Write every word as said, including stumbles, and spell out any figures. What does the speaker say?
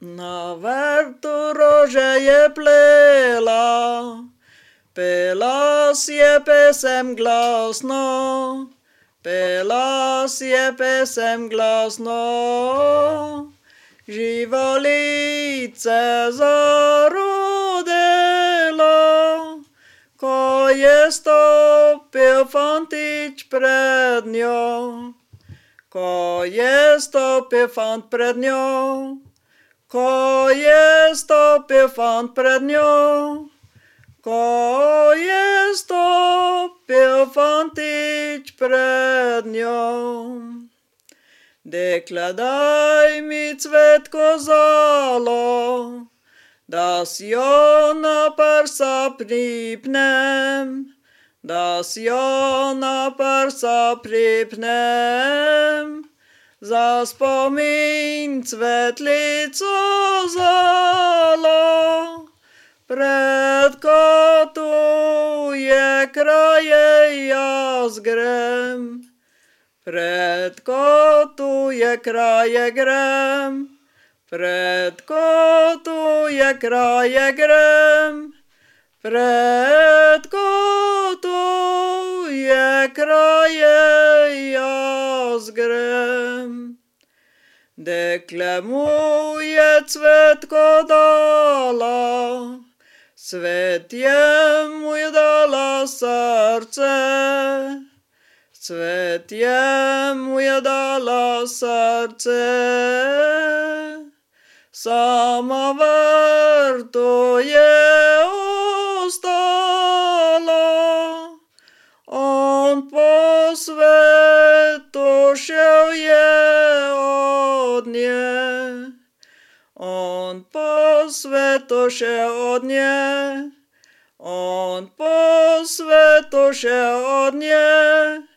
Na vrtu rože je plela, pela si je pesem glasno, pela si je pesem glasno. Živolice zarodela, ko je stopil fantič pred njo, ko je stopil fant pred njo. Ko je stopil fant pred njo, ko je stopil fantič pred njo. Dekle, daj mi cvet kozalo, da si jo na prsa pripnem, da si jo na prsa pripnem. Za spomin cvetlico zalo, pred kotuje kraje jaz grem, pred kotuje kraje grem, pred kotuje kraje grem, pred kotuje kraje jaz grem. Dekle mu je cvetko dala, cvetje mu je dala srce, cvetje mu je dala srce. Sama vrtu je ostala, on po svetu šel je od nje, on po svetu šel od nje, on po svetu šel od nje.